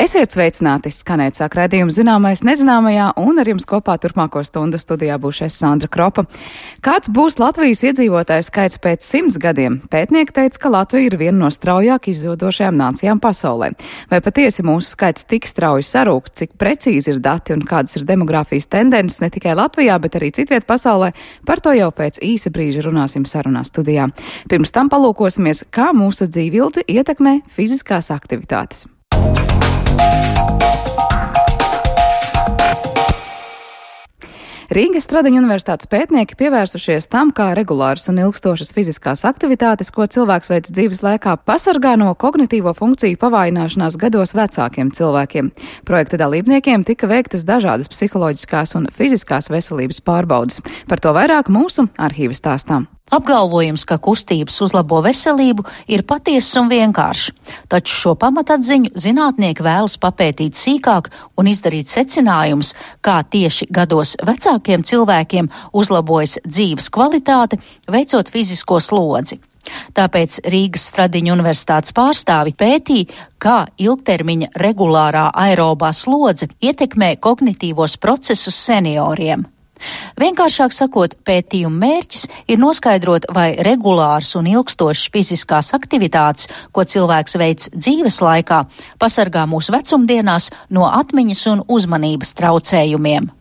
Esiet sveicināti, skanēt sāk raidījumu Zināmais nezināmajā, un ar jums kopā turpmāko stundu studijā būšu es, Sandra Kropa. Kāds būs Latvijas iedzīvotāju skaits pēc 100 gadiem? Pētnieki teica, ka Latvija ir viena no straujāk izzodošajām nācijām pasaulē. Vai patiesi mūsu skaits tik strauji sarūk, cik precīzi ir dati un kādas ir demogrāfijas tendences ne tikai Latvijā, bet arī citviet pasaulē? Par to jau pēc īsa brīža runāsim sarunā studijā. Pirms tam palūkosimies, kā mūsu dzīvildzi ietekmē fiziskās aktivitātes. Rīgas Stradiņu universitātes pētnieki pievērsušies tam, kā regulāras un ilgstošas fiziskās aktivitātes, ko cilvēks veic dzīves laikā, pasargā no kognitīvo funkciju pavājināšanās gados vecākiem cilvēkiem. Projekta dalībniekiem tika veiktas dažādas psiholoģiskās un fiziskās veselības pārbaudes. Par to vairāk mūsu arhīva stāstā. Apgalvojums, ka kustības uzlabo veselību, ir patiess un vienkāršs, taču šo pamatatziņu zinātnieki vēlas papētīt sīkāk un izdarīt secinājumus, kā tieši gados vecākiem cilvēkiem uzlabojas dzīves kvalitāte, veicot fizisko slodzi. Tāpēc Rīgas Stradiņu universitātes pārstāvi pētīja, kā ilgtermiņa regulārā aerobā slodze ietekmē kognitīvos procesus senioriem. Vienkāršāk sakot, pētījuma mērķis ir noskaidrot, vai regulārs un ilgstošs fiziskās aktivitātes, ko cilvēks veic dzīves laikā, pasargā mūs vecumdienās no atmiņas un uzmanības traucējumiem.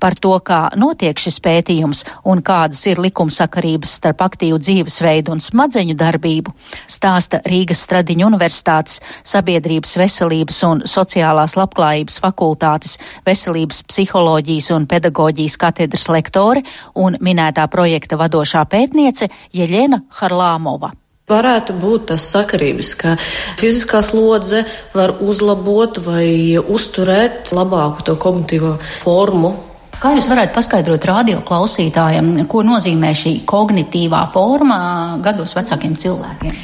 Par to, kā notiek šis pētījums un kādas ir likumsakarības starp aktīvu dzīvesveidu un smadzeņu darbību, stāsta Rīgas Stradiņu universitātes Sabiedrības veselības un sociālās labklājības fakultātes veselības psiholoģijas un pedagoģijas katedras lektore un minētā projekta vadošā pētniece Jeļena Harlāmova. Varētu būt tas sakarības, ka fiziskā slodze var uzlabot vai uzturēt labāku to kognitīvo formu. Kā jūs varētu paskaidrot radio klausītājiem, ko nozīmē šī kognitīvā forma gados vecākiem cilvēkiem?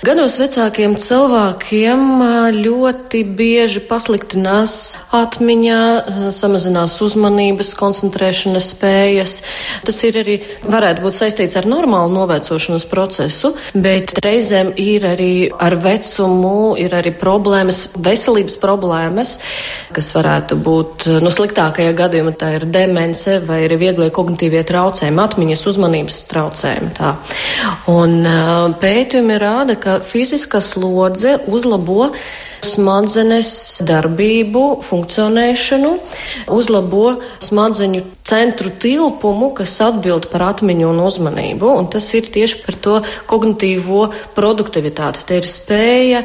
Gados vecākiem cilvēkiem ļoti bieži pasliktinās atmiņā, samazinās uzmanības, koncentrēšanas spējas. Tas ir arī, varētu būt saistīts ar normālu novecošanas procesu, bet reizēm ir arī ar vecumu, ir arī problēmas, veselības problēmas, kas varētu būt, sliktākajā gadījumā tā ir demence vai arī vieglie kognitīvie traucējumi, atmiņas uzmanības traucējumi. Tā. Un pētījumi rāda, ka fiziskā slodze uzlabo smadzenes darbību, funkcionēšanu, uzlabo smadzeņu centru tilpumu, kas atbild par atmiņu un uzmanību, un tas ir tieši par to kognitīvo produktivitāti. Te ir spēja,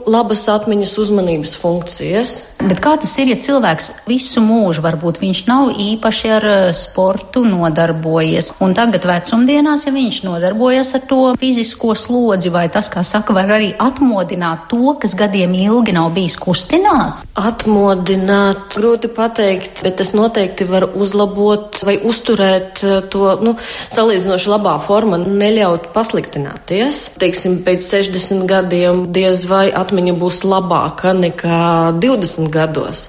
labas atmiņas uzmanības funkcijas. Bet kā tas ir, ja cilvēks visu mūžu, varbūt viņš nav īpaši ar sportu nodarbojies, un tagad vecumdienās, ja viņš nodarbojas ar to fizisko slodzi, vai tas, kā saka, var arī atmodināt to, kas gadiem ilgi nav bijis kustināts? Atmodināt, grūti pateikt, bet tas noteikti var uzlabot vai uzturēt to, salīdzinoši labā forma, neļaut pasliktināties. Teiksim, pēc 60 gadiem diez vai atmiņa būs labāka nekā 20 gados,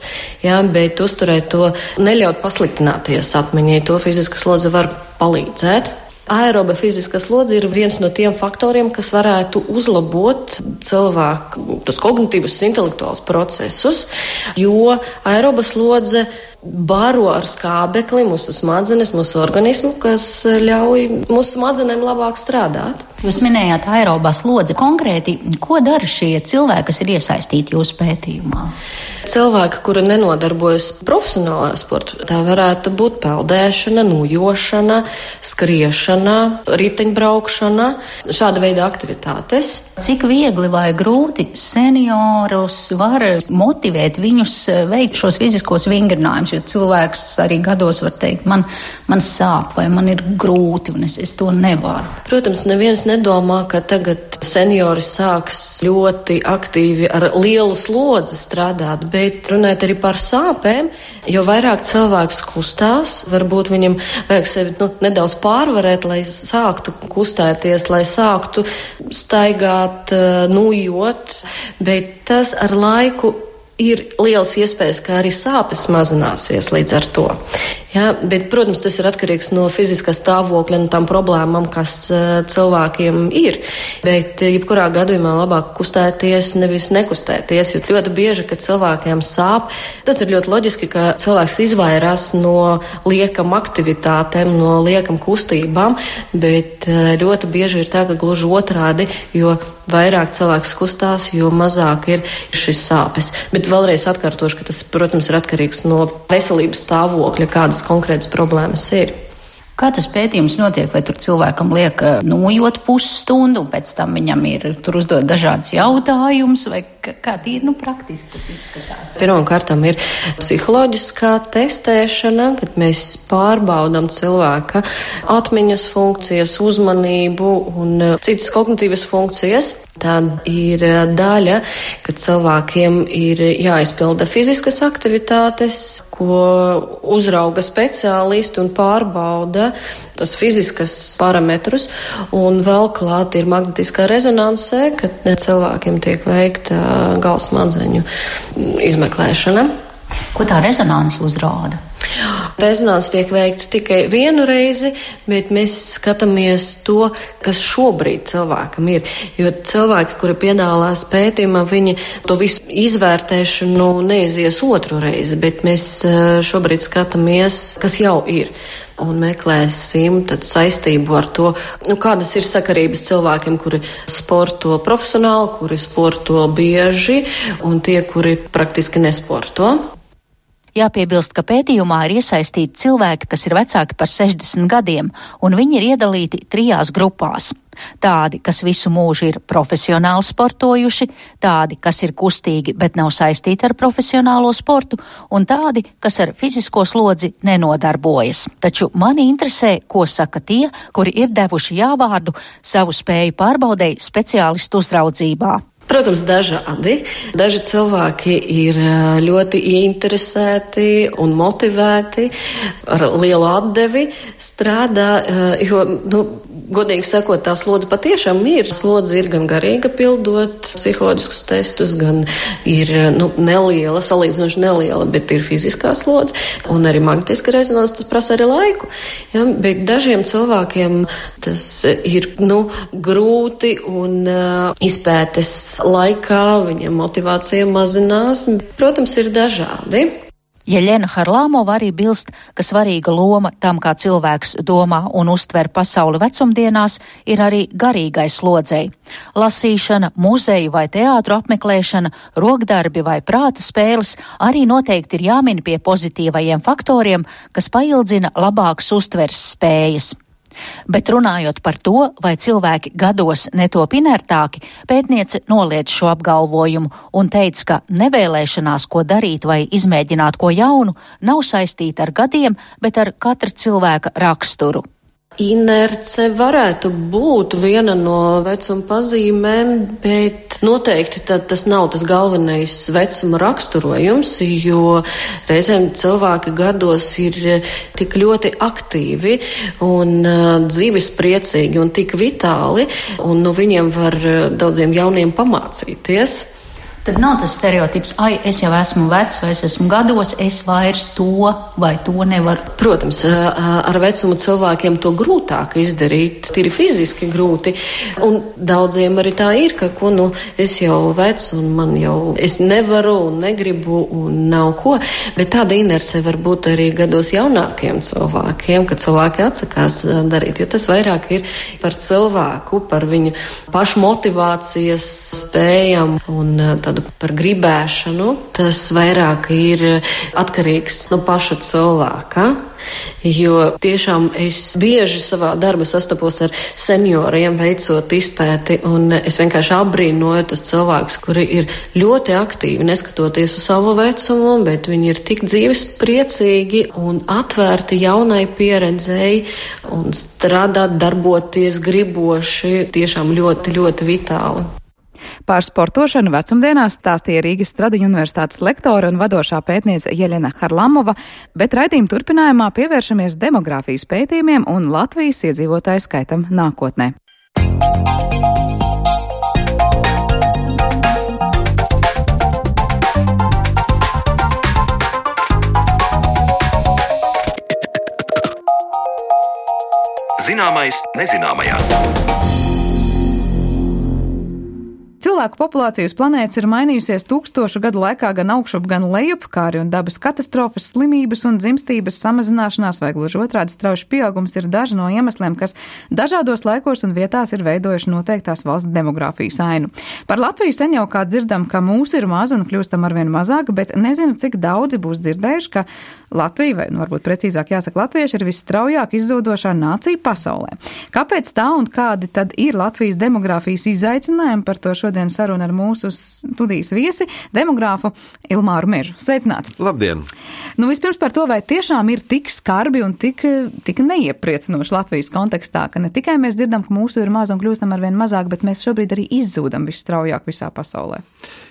bet uzturēt to, neļaut pasliktināties atmiņai, to fiziska slodze var palīdzēt. Aeroba fiziskā slodze ir viens no tiem faktoriem, kas varētu uzlabot cilvēku tos kognitīvus intelektuālus procesus, jo aeroba slodze baro ar skābekli mūsu smadzenes, mūsu organismu, kas ļauj mūsu smadzenēm labāk strādāt. Jūs minējāt aerobā slodzi. Konkrēti, ko dara šie cilvēki, kas ir iesaistīti jūsu pētījumā? Cilvēki, kuri nenodarbojas profesionālā sportā, tā varētu būt peldēšana, nojošana, skriešana, riteņbraukšana, šāda veida aktivitātes. Cik viegli vai grūti seniorus var motivēt viņus veikt šos fiziskos vingrinājumus, jo cilvēks arī gados var teikt, man sāp vai man ir grūti un es to nevaru. Protams, neviens nedomā, ka tagad seniori sāks ļoti aktīvi ar lielu slodzi strādāt, bet runāt arī par sāpēm, jo vairāk cilvēks kustās, varbūt viņam vajag sevi nedaudz pārvarēt, lai sāktu kustēties, lai sāktu staigāt, nujot, bet tas ar laiku ir liels iespējas, ka arī sāpes mazināsies līdz ar to. Jā, bet, protams, tas ir atkarīgs no fiziskā stāvokļa un tām problēmām, kas cilvēkiem ir. Bet, jebkurā gadījumā labāk kustēties, nevis nekustēties, jo ļoti bieži, kad cilvēkiem sāp, tas ir ļoti loģiski, ka cilvēks izvairās no liekam aktivitātēm, no liekam kustībām, bet ļoti bieži ir tā, ka gluži otrādi, jo vairāk cilvēks kustās, jo mazāk ir šis sāpes. Bet vēlreiz atkārtošu, ka tas, protams, ir atkarīgs no veselības stāvokļa, kādas konkrētas problēmas ir. Kā tas pētījums notiek? Vai tur cilvēkam liek nojot pusstundu, un pēc tam viņam ir tur uzdot dažādas jautājumus, vai kā tīri praktiski tas izskatās? Pirmkārt ir psiholoģiskā testēšana, kad mēs pārbaudam cilvēka atmiņas funkcijas, uzmanību un citas kognitīvas funkcijas. Tad ir daļa, kad cilvēkiem ir jāizpilda fiziskas aktivitātes, ko uzrauga speciālisti un pārbauda tos fiziskas parametrus, un vēl klāt ir magnetiskā rezonanse, kad cilvēkiem tiek veikta galvasmadzeņu izmeklēšana. Ko tā rezonanse uzrāda? Rezonanse tiek veikta tikai vienu reizi, bet mēs skatāmies to, kas šobrīd cilvēkam ir. Jo cilvēki, kuri piedalās pētījumā, viņi to visu izvērtēšanu neizies otru reizi, bet mēs šobrīd skatāmies, kas jau ir. Un meklēsim tad saistību ar to, kādas ir sakarības cilvēkiem, kuri sporto profesionāli, kuri sporto bieži, un tie, kuri praktiski nesporto. Jāpiebilst, ka pētījumā ir iesaistīti cilvēki, kas ir vecāki par 60 gadiem, un viņi ir iedalīti 3 grupās. Tādi, kas visu mūžu ir profesionāli sportojuši, tādi, kas ir kustīgi, bet nav saistīti ar profesionālo sportu, un tādi, kas ar fizisko slodzi nenodarbojas. Taču mani interesē, ko saka tie, kuri ir devuši jāvārdu savu spēju pārbaudēji speciālistu uzraudzībā. Protams, dažādi. Daži cilvēki ir ļoti ieinteresēti un motivēti, ar lielu atdevi strādā, jo, godīgi sakot, tā slodze patiešām ir. Slodze ir gan garīga pildot psiholoģiskus testus, gan ir neliela, salīdzinoši neliela, bet ir fiziskā slodze, un arī magnetiska rezonanse, tas prasa arī laiku. Ja? Bet dažiem cilvēkiem tas ir grūti un izpētes laikā viņiem motivācija mazinās. Protams, ir dažādi. Jeļena Harlamova arī bilst, ka svarīga loma tam, kā cilvēks domā un uztver pasauli vecumdienās, ir arī garīgai slodzei. Lasīšana, muzeju vai teātru apmeklēšana, rokdarbi vai prāta spēles arī noteikti ir jāmin pie pozitīvajiem faktoriem, kas paildzina labākas uztveres spējas. Bet runājot par to, vai cilvēki gados netop inertāki, pētniece noliedz šo apgalvojumu un teica, ka nevēlēšanās, ko darīt vai izmēģināt ko jaunu, nav saistīta ar gadiem, bet ar katra cilvēka raksturu. Inerce varētu būt viena no vecuma pazīmēm, bet noteikti tas nav tas galvenais vecuma raksturojums, jo reizēm cilvēki gados ir tik ļoti aktīvi un dzīvespriecīgi un tik vitāli, un no viņiem var daudziem jauniem pamācīties. Tad nav tas stereotips, es jau esmu vecs, vai es esmu gados, es vairs to vai to nevaru. Protams, ar vecumu cilvēkiem to grūtāk izdarīt, tīri fiziski grūti, un daudziem arī tā ir, ka, es jau vecs un man jau, es nevaru un negribu un nav ko, bet tāda inerce var būt arī gados jaunākiem cilvēkiem, kad cilvēki atsakās darīt, jo tas vairāk ir par cilvēku, par viņu pašmotivācijas spējām un par gribēšanu, tas vairāk ir atkarīgs no paša cilvēka. Jo tiešām es bieži savā darbā sastapos ar senioriem, veicot izpēti, un es vienkārši apbrīnoju tos cilvēkus, kuri ir ļoti aktīvi, neskatoties uz savu vecumu, bet viņi ir tik dzīvespriecīgi un atvērti jaunai pieredzēji un strādāt, darboties griboši, tiešām ļoti, ļoti vitāli. Par sportošanu vecumdienās stāstīja Rīgas Stradiņu universitātes lektore un vadošā pētniece Jeļena Harlamova, bet raidījuma turpinājumā pievēršamies demogrāfijas pētījumiem un Latvijas iedzīvotāju skaitam nākotnē. Zināmais nezināmajā. Cilvēku populācija uz planētas ir mainījusies 1000 gadu laikā gan augšup, gan lejup, kā arī un dabas katastrofas, slimības un dzimstības samazināšanās vai gluži otrādi strauji pieaugums ir daži no iemesliem, kas dažādos laikos un vietās ir veidojuši noteiktās valsts demogrāfijas ainu. Par Latviju sen jau kā dzirdam, ka mūsu ir maz un kļūstam arvien mazāk, bet nezinu, cik daudzi būs dzirdējuši, ka Latvija, vai varbūt precīzāk jāsaka latvieši, ir visstraujāk izzodošā nācija pasaulē. Kāpēc tā un kādi tad ir Latvijas demogrāfijas izaicinājumi? Par to šodien saruna ar mūsu studijas viesi, demogrāfu Ilmāru Mežu. Sveicināti! Labdien! Vispirms par to, vai tiešām ir tik skarbi un tik neiepriecinoši Latvijas kontekstā, ka ne tikai mēs dzirdam, ka mūsu ir maz un kļūstam arvien mazāk, bet mēs šobrīd arī izzūdam visstraujāk visā pasaulē.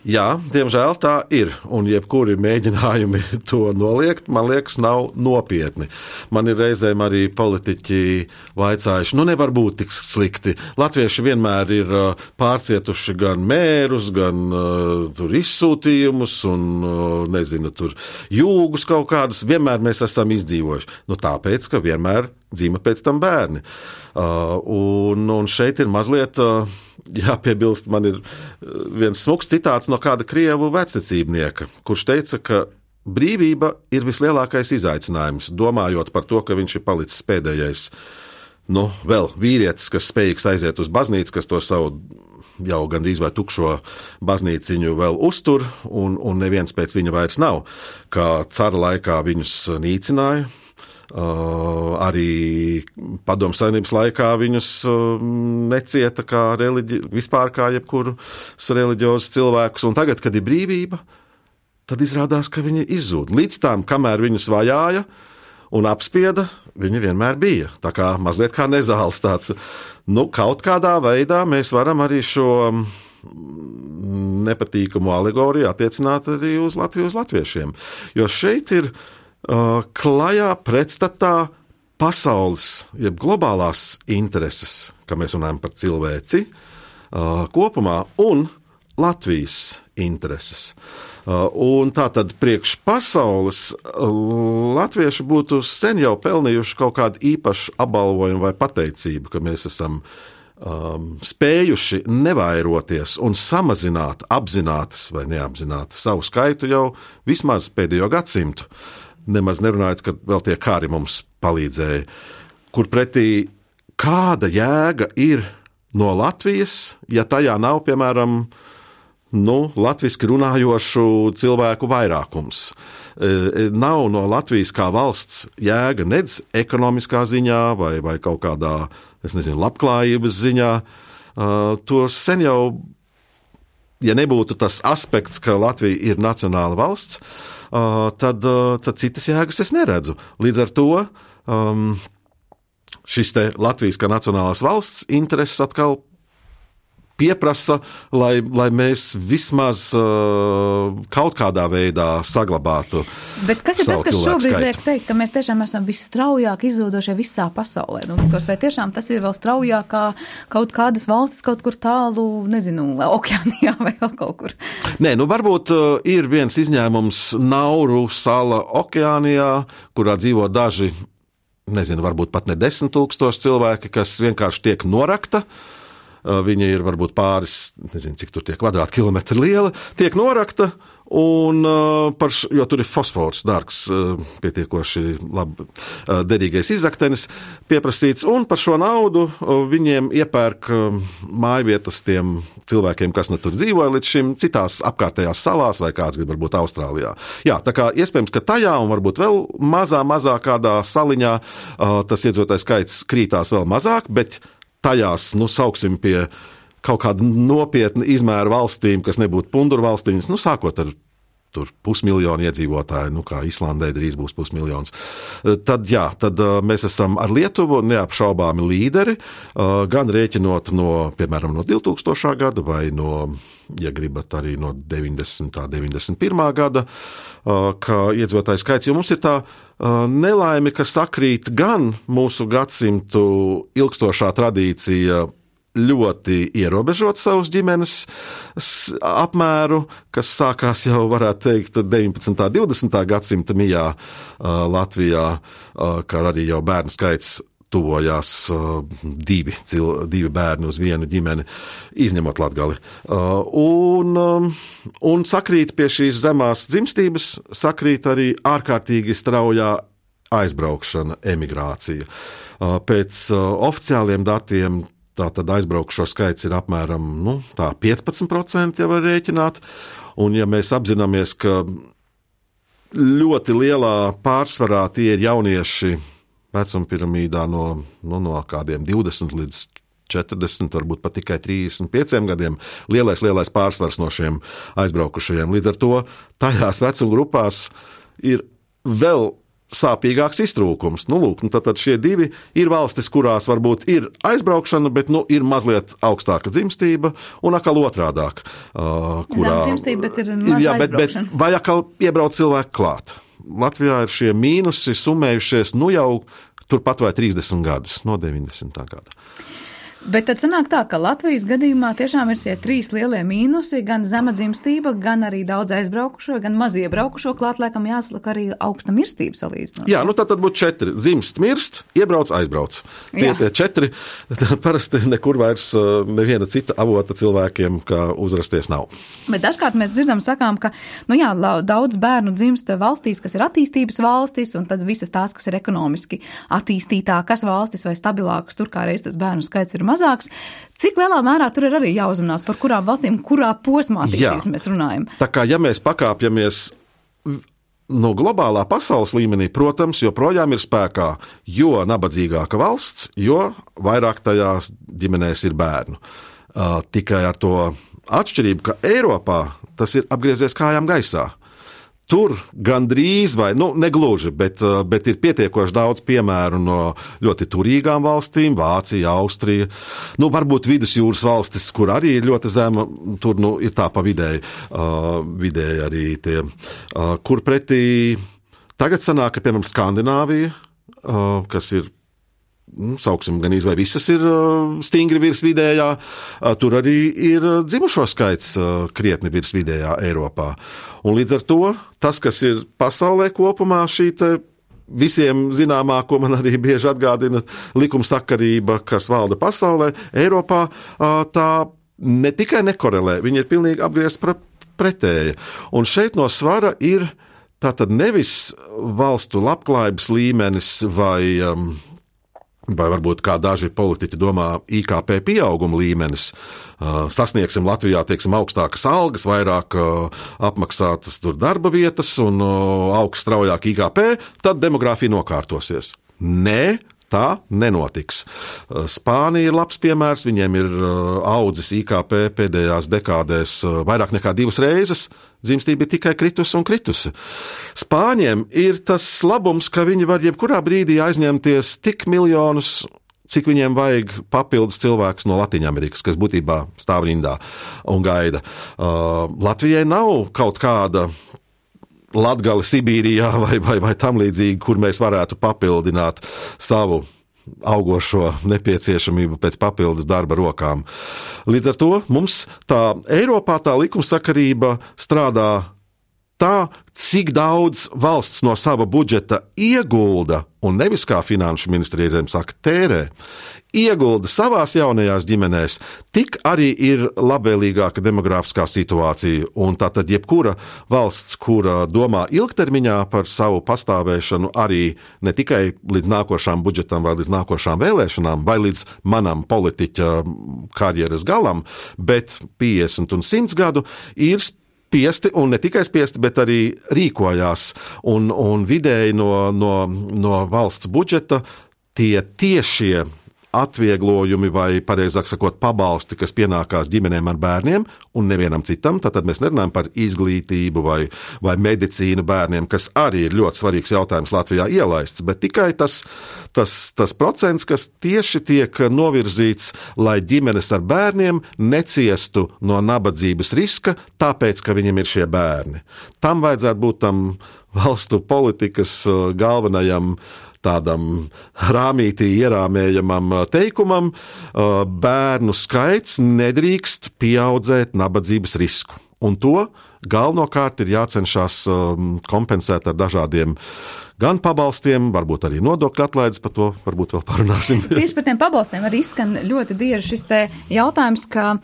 Jā, diemžēl tā ir, un jebkuri mēģinājumi to noliegt, man liekas, nav nopietni. Man ir reizēm arī politiķi vaicājuši, nevar būt tik slikti. Latvieši vienmēr ir pārcietuši gan mērus, gan tur izsūtījumus un, tur jūgus kaut kādus. Vienmēr mēs esam izdzīvojuši. Tāpēc, ka vienmēr dzima pēc tam bērni. Un šeit ir mazliet, jāpiebilst, man ir viens smuks citāts no kāda krievu vectecībnieka, kurš teica, ka brīvība ir vislielākais izaicinājums, domājot par to, ka viņš ir palicis pēdējais, vēl vīrietis, kas spējīgs aiziet uz baznīcu, kas to savu jau gandrīz vai tukšo baznīciņu vēl uztur, un neviens pēc viņa vairs nav, kā cara laikā viņus nīcināja. Arī Padomju Savienības laikā viņus necieta vispār kā jebkurus reliģiozus cilvēkus, un tagad, kad ir brīvība, tad izrādās, ka viņi izzūd. Līdz tam, kamēr viņus vajāja un apspieda, viņi vienmēr bija. Tā kā mazliet kā nezāles tāds. Kaut kādā veidā mēs varam arī šo nepatīkamu alegoriju attiecināt arī uz Latviju, uz latviešiem. Jo šeit ir klajā pretstatā pasaules, jeb globālās intereses, kā mēs runājam par cilvēci kopumā, un Latvijas intereses. Un tātad priekš pasaules latvieši būtu sen jau pelnījuši kaut kādu īpašu apbalvojumu vai pateicību, ka mēs esam spējuši nevairoties un samazināt apzinātas vai neapzināti savu skaitu jau vismaz pēdējo gadsimtu. Nemaz nerunājot, ka vēl tie kāri mums palīdzēja, kur pretī kāda jēga ir no Latvijas, ja tajā nav, piemēram, latviski runājošu cilvēku vairākums. Nav no Latvijas kā valsts jēga nedz ekonomiskā ziņā vai kaut kādā, labklājības ziņā. To sen jau, ja nebūtu tas aspekts, ka Latvija ir nacionāla valsts, tad citas jēgas es neredzu. Līdz ar to šis te Latvijas kā nacionālās valsts intereses atkal pieprasa, lai mēs vismaz kaut kādā veidā saglabātu. Bet kas ir tas, kas šobrīd liek teikt, ka mēs tiešām esam visstraujāk izzūdošie visā pasaulē? Vai tiešām tas ir vēl straujāk kā kaut kādas valstis kaut kur tālu, okeānijā vai vēl kaut kur? Nē, varbūt ir viens izņēmums Nauru sala okeānijā, kurā dzīvo daži, varbūt pat ne 10 000 cilvēki, kas vienkārši tiek norakta. Viņa ir varbūt pāris, cik tur tie kvadrātkilometri liela, tiek norakta, jo tur ir fosfors, dārgs, pietiekoši labi derīgais izraktenis pieprasīts, un par šo naudu viņiem iepērk mājvietas tiem cilvēkiem, kas tur dzīvoja līdz šim citās apkārtējās salās vai kāds grib varbūt Austrālijā. Jā, tā kā iespējams, ka tajā un varbūt vēl mazā kādā saliņā tas iedzīvotāju skaits krītās vēl mazāk, bet tajās, sauksim pie kaut kāda nopietna izmēra valstīm, kas nebūtu punduru valstīm, sākot ar tur 500 000 iedzīvotāju, kā Islandē drīz būs 500 000. Tad mēs esam ar Lietuvu neapšaubāmi līderi, gan rēķinot piemēram, no 2000. gada vai ja gribat arī no 90. 91. gada, ka iedzīvotāju skaits, jo mums ir tā nelaime, ka sakrīt gan mūsu gadsimtu ilgstošā tradīcija ļoti ierobežot savus ģimenes apmēru, kas sākās jau, varētu teikt, 19. 20. gadsimta mijā Latvijā, kā arī jau bērnu skaits tuvojās divi bērni uz vienu ģimeni, izņemot Latgali. Un sakrīt pie šīs zemās dzimstības, sakrīt arī ārkārtīgi straujā aizbraukšana, emigrācija. Pēc oficiāliem datiem tātad aizbraukušo skaits ir apmēram 15%, ja var rēķināt. Un ja mēs apzināmies, ka ļoti lielā pārsvarā tie ir jaunieši vecuma piramīdā no kādiem 20 līdz 40, varbūt pat tikai 35 gadiem, lielais pārsvars no šiem aizbraukušajiem. Līdz ar to tajās vecuma grupās ir vēl sāpīgāks iztrūkums. Tad šie divi ir valstis, kurās varbūt ir aizbraukšana, bet ir mazliet augstāka dzimstība, un atkal otrādāk. Kurā dzimstība, bet ir maz aizbraukšana. Vai atkal iebrauc cilvēku klāt. Latvijā ir šie mīnusi summējušies jau turpat vai 30 gadus, no 90. gada. Bet tad sanāk tā, ka Latvijas gadījumā tiešām ir šie 3 lielie mīnusi, gan zema dzimstība, gan arī daudz aizbraukušo, gan maz iebraukušo, klāt laikam jāsaka arī augsta mirstība salīdzinot. Jā, tad būtu 4. Dzimst, mirst, iebrauc, aizbrauc. Tie 4, parasti nekur vairs neviena cita avota cilvēkiem, kā uzrasties nav. Bet dažkārt mēs sakām, ka, daudz bērnu dzimst valstīs, kas ir attīstības valstis, un tad visas tās, kas ir ekonomiski attīstītākas valstis vai stabilākas, tur kā reiz tas bērnu skaits ir mazāks. Cik lielā mērā tur ir arī jāuzmanās, par kurām valstīm, kurā posmā attīstības mēs runājam? Tā kā, ja mēs pakāpjamies globālā pasaules līmenī, protams, joprojām ir spēkā, jo nabadzīgāka valsts, jo vairāk tajās ģimenēs ir bērnu. Tikai ar to atšķirību, ka Eiropā tas ir apgriezies kājām gaisā. Tur gandrīz, vai negluži, bet ir pietiekoši daudz piemēru no ļoti turīgām valstīm, Vācija, Austrija, varbūt vidusjūras valstis, kur arī ir ļoti zema, tur ir tā pa vidēji arī tie, kur pretī tagad sanāk, ka, piemēram, Skandināvija, kas ir, sauksim, gan vai visas ir stingri virs vidējā, tur arī ir dzimušo skaits krietni virs vidējā Eiropā. Un līdz ar to tas, kas ir pasaulē kopumā, šī visiem zināmā, ko man arī bieži atgādina likumsakarība, kas valda pasaulē, Eiropā, tā ne tikai nekorelē, viņa ir pilnīgi apgriezta pretēja. Un šeit no svara ir tātad nevis valstu labklājības līmenis vai varbūt kā daži politiķi domā IKP pieauguma līmenis. Sasniegsim Latvijā, augstākas algas, vairāk apmaksātas tur darba vietas un augsts straujāk IKP, tad demogrāfija nokārtosies. Nē, tā nenotiks. Spānija ir labs piemērs, viņiem ir audzis IKP pēdējās dekādēs vairāk nekā 2 reizes, dzimstība ir tikai kritusi. Spāņiem ir tas labums, ka viņi var jebkurā brīdī aizņemties tik miljonus, cik viņiem vajag papildus cilvēkus no Latīņamerikas, kas būtībā stāv rindā un gaida. Latvijai nav kaut kāda Latgali Sibīrijā vai tam līdzīgi, kur mēs varētu papildināt savu augošo nepieciešamību pēc papildus darba rokām. Līdz ar to mums Eiropā tā likumsakarība strādā tā, cik daudz valsts no sava budžeta iegulda, un nevis kā finanšu ministrija saka tērē, iegulda savās jaunajās ģimenēs, tik arī ir labvēlīgāka demogrāfiskā situācija. Un tātad jebkura valsts, kura domā ilgtermiņā par savu pastāvēšanu arī ne tikai līdz nākošām budžetam vai līdz nākošām vēlēšanām vai līdz manam politiķa karjeras galam, bet 50 un 100 gadu ir spiesti, un ne tikai spiesti, bet arī rīkojās. Un vidēji no valsts budžeta tie tiešie atvieglojumi vai, pareizāk sakot, pabalsti, kas pienākās ģimenēm ar bērniem un nevienam citam, tad mēs nerunājam par izglītību vai medicīnu bērniem, kas arī ir ļoti svarīgs jautājums Latvijā ielaists, bet tikai tas procents, kas tieši tiek novirzīts, lai ģimenes ar bērniem neciestu no nabadzības riska, tāpēc, ka viņiem ir šie bērni. Tam vajadzētu būt tam valstu politikas galvenajam tādam rāmītī ierāmējamam teikumam, bērnu skaits nedrīkst pieaudzēt nabadzības risku. Un to galvenokārt ir jācenšas kompensēt ar dažādiem gan pabalstiem, varbūt arī nodokļu atlaides, par to varbūt vēl parunāsim. Tieši par tiem pabalstiem arī izskan ļoti bieži šis te jautājums, ka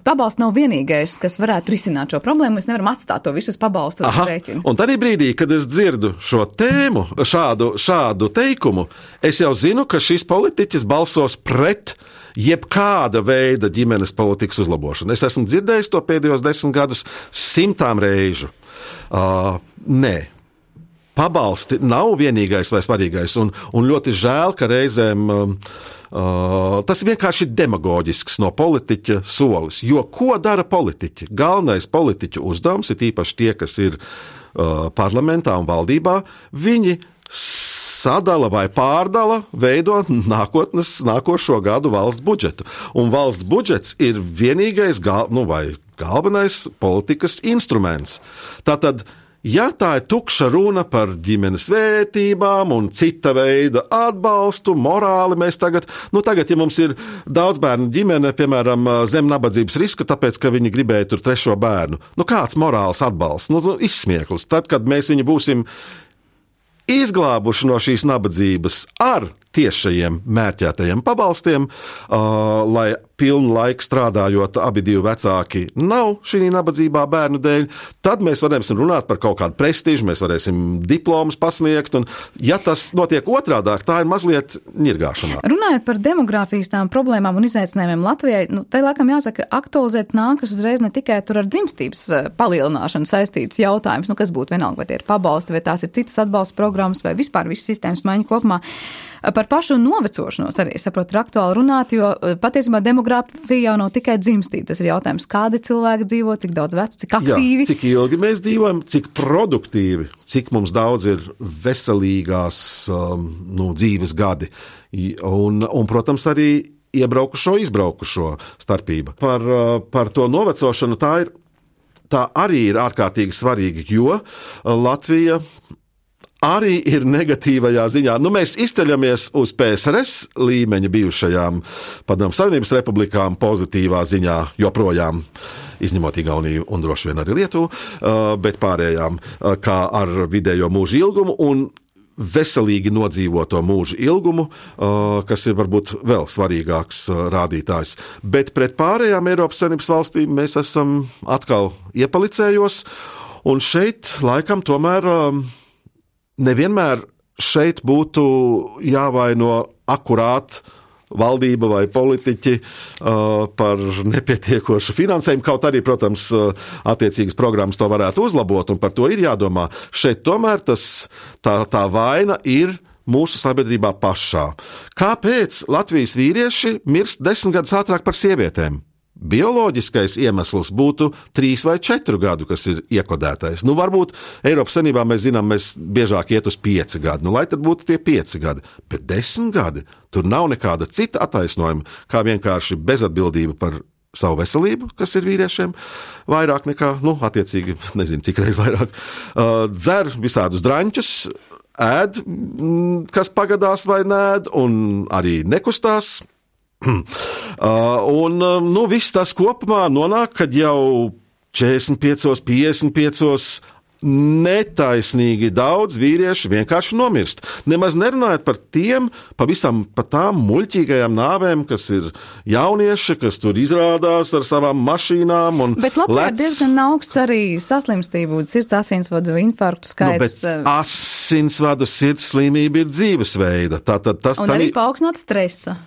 pabalsts nav vienīgais, kas varētu risināt šo problēmu. Mēs nevaram atstāt to visu uz pabalstu rēķinu. Un tad brīdī, kad es dzirdu šo tēmu, šādu teikumu, es jau zinu, ka šis politiķis balsos pret jebkāda veida ģimenes politikas uzlabošanu. Es esmu dzirdējis to pēdējos 10 gadus 100 reižu. Nē. Pabalsti nav vienīgais vai svarīgais, un ļoti žēl, ka reizēm tas ir vienkārši demagoģisks no politiķa solis. Jo ko dara politiķi? Galvenais politiķu uzdevums ir īpaši tie, kas ir parlamentā un valdībā, viņi sadala vai pārdala, veido nākošo gadu valsts budžetu. Un valsts budžets ir vienīgais galvenais politikas instruments. Tātad, ja tā ir tukša runa par ģimenes vērtībām un cita veida atbalstu, morāli mēs tagad, ja mums ir daudz bērnu ģimene, piemēram, zem nabadzības riska, tāpēc, ka viņi gribēja tur 3. bērnu, kāds morāls atbalsts? Izsmieklis. Tad, kad mēs viņu būsim izglābuši no šīs nabadzības ar tiešajiem mērķētajiem pabalstiem, lai pilnu laiku strādājot abi divi vecāki nav šī nabadzībā bērnu dēļ, tad mēs varēsim runāt par kaut kādu prestižu, mēs varēsim diplomus pasniegt, un ja tas notiek otrādāk, tā ir mazliet ņirgāšanā. Runājot par demogrāfijas tām problēmām un izaicinājumiem Latvijai, te laikam jāsaka, aktualizēt nākas uzreiz ne tikai tur ar dzimstības palielināšanu saistītus jautājumus, kas būtu vienalga, vai tie ir pabalsti, vai tās ir citas atbalsta programmas, vai vispār visas sistēmas maiņa kopumā. Par pašu novecošanos arī, saprotu, ir aktuāli runāt, jo patiesībā demogrāfija jau nav tikai dzimstība. Tas ir jautājums, kādi cilvēki dzīvo, cik daudz vecu, cik aktīvi. Jā, cik ilgi mēs dzīvojam, cik produktīvi, cik mums daudz ir veselīgās dzīves gadi. Un, protams, arī iebraukušo, izbraukušo starpība. Par to novecošanu tā arī ir ārkārtīgi svarīga, jo Latvija arī ir negatīvajā ziņā. Mēs izceļamies uz PSRS līmeņa bijušajām Padomju Savienības republikām pozitīvā ziņā joprojām, izņemot Igauniju un droši vien arī Lietuvu, bet pārējām, kā ar vidējo mūža ilgumu un veselīgi nodzīvoto mūža ilgumu, kas ir varbūt vēl svarīgāks rādītājs. Bet pret pārējām Eiropas Savienības valstīm mēs esam atkal iepalicējos, un šeit laikam tomēr nevienmēr šeit būtu jāvaino akurāt valdība vai politiķi par nepietiekošu finansējumu, kaut arī, protams, attiecīgas programmas to varētu uzlabot, un par to ir jādomā. Šeit tomēr tā vaina ir mūsu sabiedrībā pašā. Kāpēc Latvijas vīrieši mirst 10 gadus ātrāk par sievietēm? Bioloģiskais iemesls būtu 3 vai 4 gadu, kas ir iekodētais. Varbūt Eiropas Savienībā mēs zinām, mēs biežāk iet uz 5 gadu. Lai tad būtu tie 5 gadi. Bet 10 gadi, tur nav nekāda cita attaisnojuma, kā vienkārši bezatbildība par savu veselību, kas ir vīriešiem, vairāk nekā, attiecīgi, nezinu, cik reiz vairāk, dzer visādus draņķus, ēd, kas pagadās vai nēd, un arī nekustās. Viss tas kopumā nonāk, kad jau 45, 55 netaisnīgi daudz vīrieši vienkārši nomirst. Nemaz nerunājot par par tām muļķīgajām nāvēm, kas ir jaunieši, kas tur izrādās ar savām mašīnām un bet Latvijā ir diezgan augsts arī saslimstību, sirds asinsvadu infarktu skaits. Bet asinsvadu sirds slimība ir dzīvesveida. Un arī paaugstināt stresa.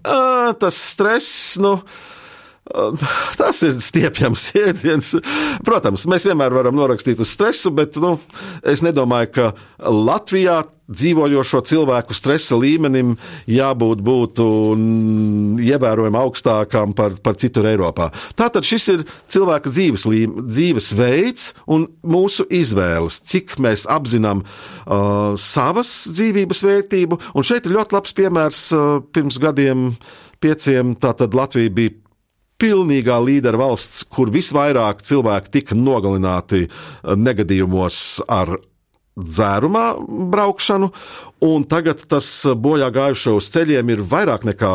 Tas stress, tas ir stiepjams jēdziens. Protams, mēs vienmēr varam norakstīt uz stresu, bet es nedomāju, ka Latvijā dzīvojošo cilvēku stresa līmenim būtu ievērojami augstākām par citur Eiropā. Tātad šis ir cilvēka dzīvesveids un mūsu izvēles, cik mēs apzinām savas dzīvības vērtību. Un šeit ir ļoti labs piemērs pirms gadiem 5. Tātad Latvija bija pilnīgā līdera valsts, kur visvairāk cilvēki tika nogalināti negadījumos ar dzērumā braukšanu, un tagad tas bojā gājušo uz ceļiem ir vairāk nekā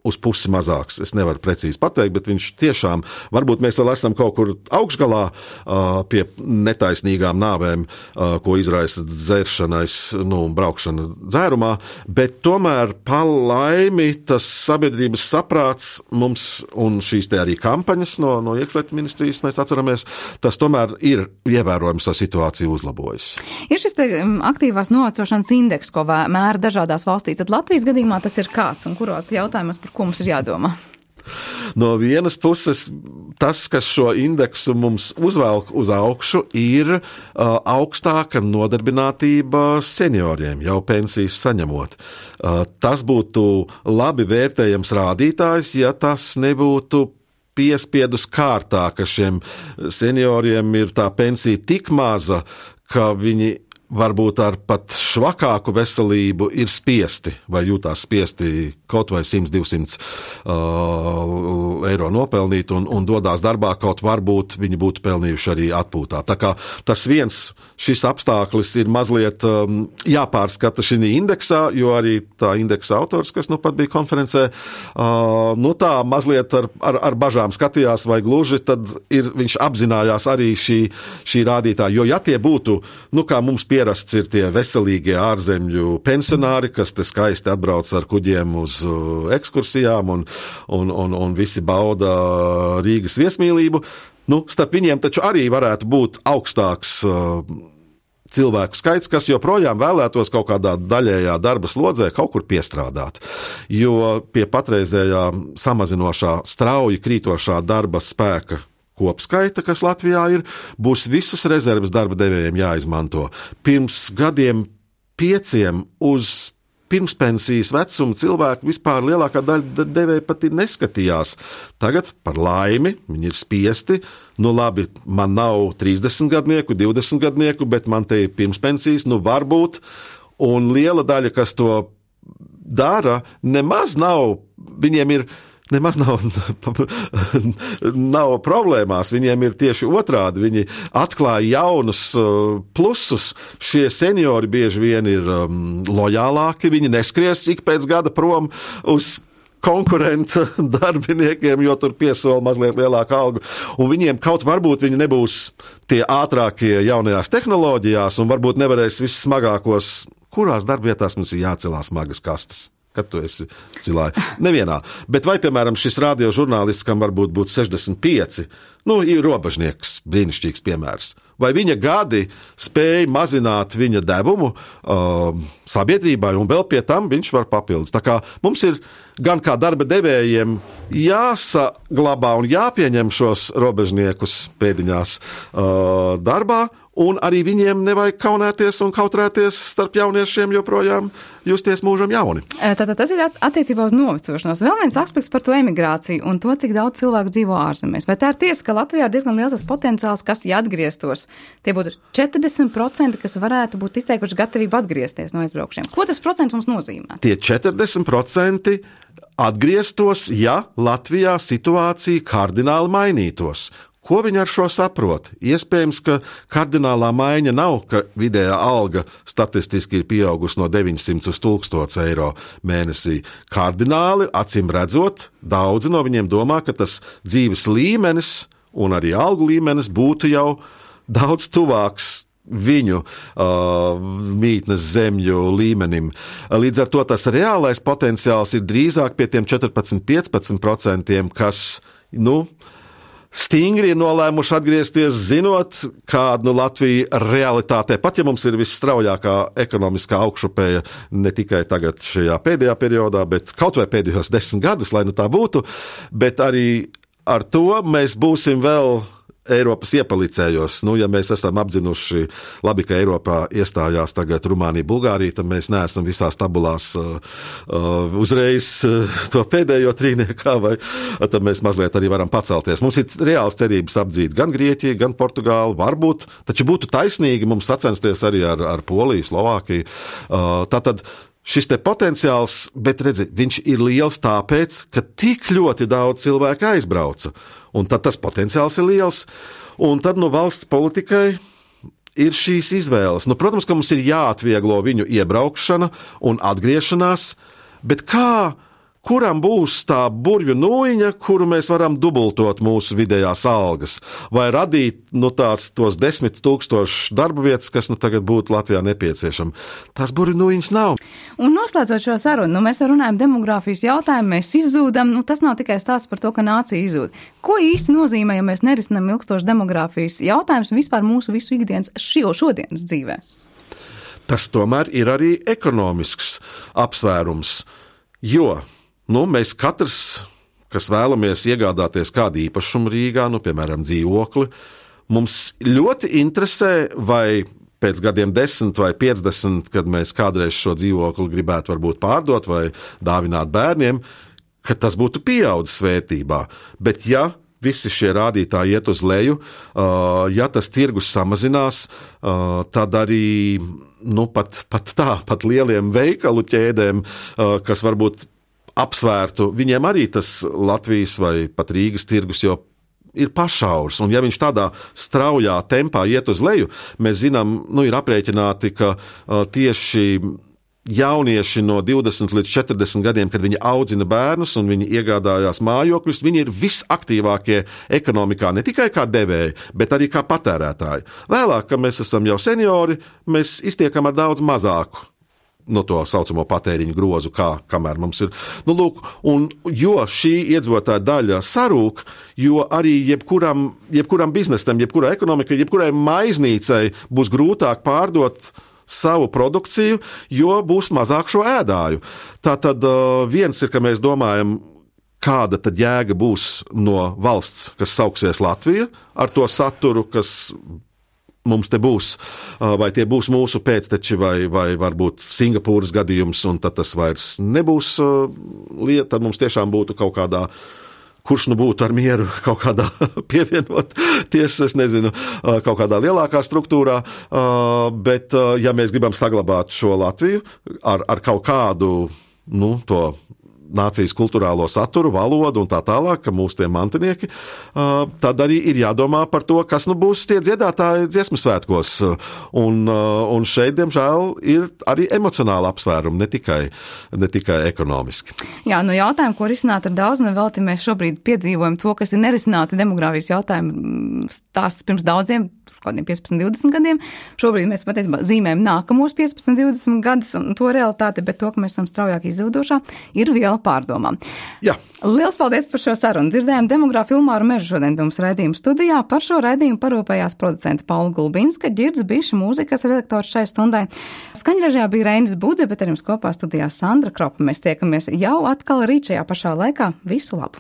uz pusi mazāks. Es nevaru precīzi pateikt, bet viņš tiešām, varbūt mēs vēl esam kaut kur augšgalā pie netaisnīgām nāvēm, ko izraisa dzeršanais, braukšana dzērumā, bet tomēr pa laimi tas sabiedrības saprāts mums un šīs te arī kampaņas no iekšlietu ministrijas, mēs atceramies, tas tomēr ir ievērojams tā situācija uzlabojas. Ir šis te aktīvās novecošanas indeks, ko mēra dažādās valstīs, tad Latvijas gadījumā tas ir kāds un kuros jautājumos, par ko mums ir jādomā? No vienas puses, tas, kas šo indeksu mums uzvelk uz augšu, ir augstāka nodarbinātība senioriem, jau pensijas saņemot. Tas būtu labi vērtējams rādītājs, ja tas nebūtu piespiedus kārtā, ka šiem senioriem ir tā pensija tik maza, ka viņi varbūt ar pat švakāku veselību ir spiesti vai jūtās spiesti kaut vai 100-200 eiro nopelnīt un dodās darbā, kaut varbūt viņi būtu pelnījuši arī atpūtā. Tā kā tas šis apstākļus ir mazliet jāpārskata šī indeksā, jo arī tā indeksa autors, kas pat bija konferencē, tā mazliet ar bažām skatījās vai gluži, tad viņš apzinājās arī šī rādītāja, jo ja tie būtu, kā mums pierasts ir tie veselīgie ārzemļu pensionāri, kas te skaisti atbrauc ar kuģiem uz ekskursijām un visi bauda Rīgas viesmīlību, starp viņiem taču arī varētu būt augstāks cilvēku skaits, kas joprojām vēlētos kaut kādā daļējā darba slodzē kaut kur piestrādāt. Jo pie patreizējā samazinošā, strauji krītošā darba spēka kopskaita, kas Latvijā ir, būs visas rezerves darba devējiem jāizmanto. Pirms gadiem 5 uz pirmspensijas vecuma cilvēku vispār lielākā daļa devēja pat neskatījās. Tagad, par laimi, viņi ir spiesti. Labi, man nav 30 gadnieku, 20 gadnieku, bet man te ir pirmspensijas, varbūt. Un liela daļa, kas to dara, nemaz nav problēmās, viņiem ir tieši otrādi, viņi atklāja jaunus plusus, šie seniori bieži vien ir lojālāki, viņi neskries ik pēc gada prom uz konkurenta darbiniekiem, jo tur piesola mazliet lielāku algu, un viņiem kaut varbūt viņi nebūs tie ātrākie jaunajās tehnoloģijās, un varbūt nevarēs vissmagākos, kurās darbvietās mums ir jācelās smagas kastes. Kad tu esi cilāji. Nevienā. Bet vai, piemēram, šis radiožurnālists, kam varbūt būtu 65, ir robežnieks, brīnišķīgs piemērs. Vai viņa gadi spēja mazināt viņa devumu sabiedrībai, un vēl pie tam viņš var papildus. Tā kā mums ir gan kā darba devējiem jāsaglabā un jāpieņem šos robežniekus pēdiņās darbā, un arī viņiem nevajag kaunēties un kautrēties starp jauniešiem joprojām justies mūžam jauni. Tātad tas ir attiecībā uz novecošanos. Vēl viens aspekts par to emigrāciju un to, cik daudz cilvēku dzīvo ārzemēs. Vai tā ir tiesa, ka Latvijā ir diezgan liels tas potenciāls, kas, ja atgrieztos, tie būtu 40%, kas varētu būt izteikuši gatavību atgriezties no aizbraukšiem? Ko tas procents mums nozīmē? Tie 40% atgrieztos, ja Latvijā situācija kardināli mainītos. Ko viņi ar šo saprot? Iespējams, ka kardinālā maiņa nav, ka vidējā alga statistiski ir pieaugusi no 900 uz 1000 eiro mēnesī. Kardināli, acīm redzot, daudzi no viņiem domā, ka tas dzīves līmenis un arī algu līmenis būtu jau daudz tuvāks viņu mītnes zemju līmenim. Līdz ar to tas reālais potenciāls ir drīzāk pie tiem 14-15%, kas, stingri ir nolēmuši atgriezties, zinot, kāda Latvija realitātē, pat ja mums ir visstraujākā ekonomiskā augšupēja ne tikai tagad šajā pēdējā periodā, bet kaut vai pēdējos 10 gadus, lai tā būtu, bet arī ar to mēs būsim vēl Eiropas iepalicējos. Ja mēs esam apzinuši, labi, ka Eiropā iestājās tagad Rumānija, Bulgārija, tad mēs neesam visās tabulās uzreiz to pēdējo trīniekā, vai tad mēs mazliet arī varam pacelties. Mums ir reāls cerības apdzīt gan Grieķiju, gan Portugālu, varbūt, taču būtu taisnīgi mums sacensties arī ar Poliju, Slovākiju. Tātad šis te potenciāls, bet redzi, viņš ir liels tāpēc, ka tik ļoti daudz cilvēku aizbrauca. Un tad tas potenciāls ir liels. Un tad valsts politikai ir šīs izvēles. Protams, ka mums ir jāatvieglo viņu iebraukšana un atgriešanās, bet kā kuram būs tā burvju nūjiņa, kuru mēs varam dubultot mūsu vidējās algas, vai radīt tos 10 000 darba vietas, kas tagad būtu Latvijā nepieciešama. Tās burvju nūjiņas nav. Un noslēdzot šo sarunu, mēs runājam demogrāfijas jautājumu, mēs izzūdam, tas nav tikai stāsts par to, ka nācija izzūd. Ko īsti nozīmē, ja mēs nerisinām ilgstošu demogrāfijas jautājumus vispār mūsu visu ikdienas šodienas dzīvē? Tas tomēr ir arī ekonomisks apsvērums, jo mēs katrs, kas vēlamies iegādāties kādu īpašumu Rīgā, piemēram, dzīvokli, mums ļoti interesē, vai pēc gadiem 10 vai 50, kad mēs kādreiz šo dzīvokli gribētu varbūt pārdot vai dāvināt bērniem, ka tas būtu pieaudzis vērtībā. Bet ja visi šie rādītāji iet uz leju, ja tas tirgus samazinās, tad arī pat lieliem veikalu ķēdēm, kas varbūt apsvērtu, viņiem arī tas Latvijas vai pat Rīgas tirgus jau ir pašaurs, un ja viņš tādā straujā tempā iet uz leju, mēs zinām, ir aprēķināti, ka tieši jaunieši no 20 līdz 40 gadiem, kad viņi audzina bērnus un viņi iegādājās mājokļus, viņi ir visaktīvākie ekonomikā, ne tikai kā devēji, bet arī kā patērētāji. Vēlāk, kad mēs esam jau seniori, mēs iztiekam ar daudz mazāku to saucamo patēriņu grozu, kamēr mums ir. Jo šī iedzīvotāja daļa sarūk, jo arī jebkuram biznesam, jebkurai ekonomikai, jebkurai maiznīcai būs grūtāk pārdot savu produkciju, jo būs mazāk šo ēdāju. Tātad viens ir, ka mēs domājam, kāda tad jēga būs no valsts, kas sauksies Latvija, ar to saturu, kas mums te būs, vai tie būs mūsu pēcteči, vai varbūt Singapūras gadījums, un tad tas vairs nebūs lieta, tad mums tiešām būtu kaut kādā, kurš būtu ar mieru kaut kādā pievienoties, es nezinu, kaut kādā lielākā struktūrā, bet ja mēs gribam saglabāt šo Latviju ar kaut kādu, to nācijas kulturālo saturu, valodu un tā tālāk, ka mūsu tie mantinieki, tad arī ir jādomā par to, kas būs tie dziedātāji dziesmu svētkos. Un šeit, diemžēl, ir arī emocionāli apsvērumi, ne tikai ekonomiski. Jā, jautājumu, ko risināt ar daudz, nevelti mēs šobrīd piedzīvojam to, kas ir nerisināti demogrāfijas jautājumi tās pirms daudziem, kādiem 15, 20 gadiem. Šobrīd mēs patiesībā zīmējam nākamos 15, 20 gadus un to realitāti, bet to, ka mēs esam straujāk izzūdošā, ir viela pārdomām. Jā. Liels paldies par šo sarunu. Dzirdējām demogrāfu Ilmāru Mežu šodien pie mums raidījuma studijā. Par šo raidījumu parūpējās producenta Paula Gulbinska, Ģirds Biša, mūzikas redaktors šai stundai. Skaņražajā bija Reinis Budze, bet ar jums kopā studijā Sandra Kropa. Mēs tiekamies jau atkal rīt šajā pašā laikā. Visu labu!